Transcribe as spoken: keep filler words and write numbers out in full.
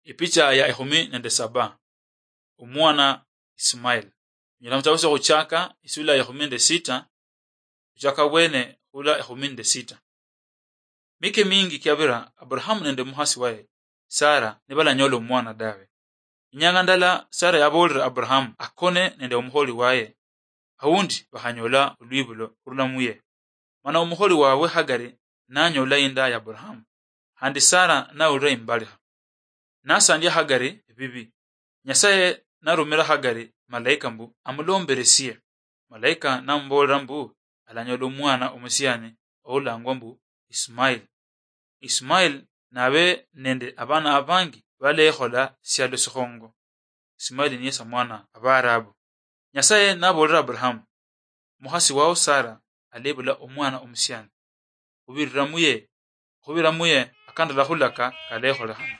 Ipicha ya ekhumi nende saba. Omwana Ismail. Nyala mutabo sya khuchaka isula ya ekhumi nende sita, khuchaka bwene khula ekhumi nende sita. Mike mingi kiabira, Abrahamu nende mukhasi waye Sara nibalanyola omwana dawe. Inyanga ndala Sara yaboolera Abrahamu akone nende omukholi waye, aundi bakhanyola olwibulo khurula muye. Mana omukholi wawe Hagari nanyola inda ya Abrahamu, khandi Sara nawulira imbalikha. Nasandia Hagari ebibi. Nyasaye narumira Hagari malaika mbu amulomberesie. Malaika namuboolera mbu alanyola omwana omusiani oulangwa mbu Ismail. Ismail nabe nende abana abangi balekhola sialo sikhongo. Ismail niye samwana Abaarabu. Nyasaye naboolera Abrahamu, mukhasi wao Sara alebula omwana omusiani. Khubirira muye, khubira muye akandala khulaka kalekholekhana.